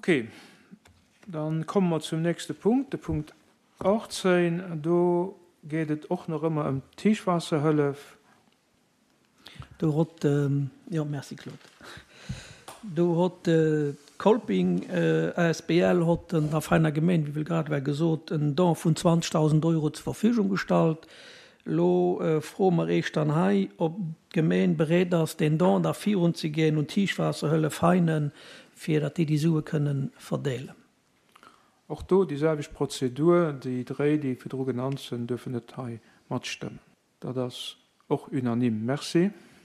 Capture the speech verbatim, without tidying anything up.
Okay, dann komme mer zum nächste Punkt, de Punkt achtzéng. Do geet et och nach ëmmer ëm d'Héichwaasserhëllef. Do hott, jo, merci Claude. Do hott d'Kolping asbl hott der Veiner Gemeen, wéi grad war gesot, en Don vun zwanzegdausend Euro zur Verfügung gestallt. Lo froe mer eech dann hei, ob d'Gemeen bereet ass, deen Don da virunzegeen un d'Héichwaasserhëllef Veinen, fir datt déi déi Sue kënnen verdeelen. Och do déi selwecht Prozedur, déi dréi, déi virdru genannt sinn, duerfen net hei matstëmmen. Dat ass och unanime. Merci.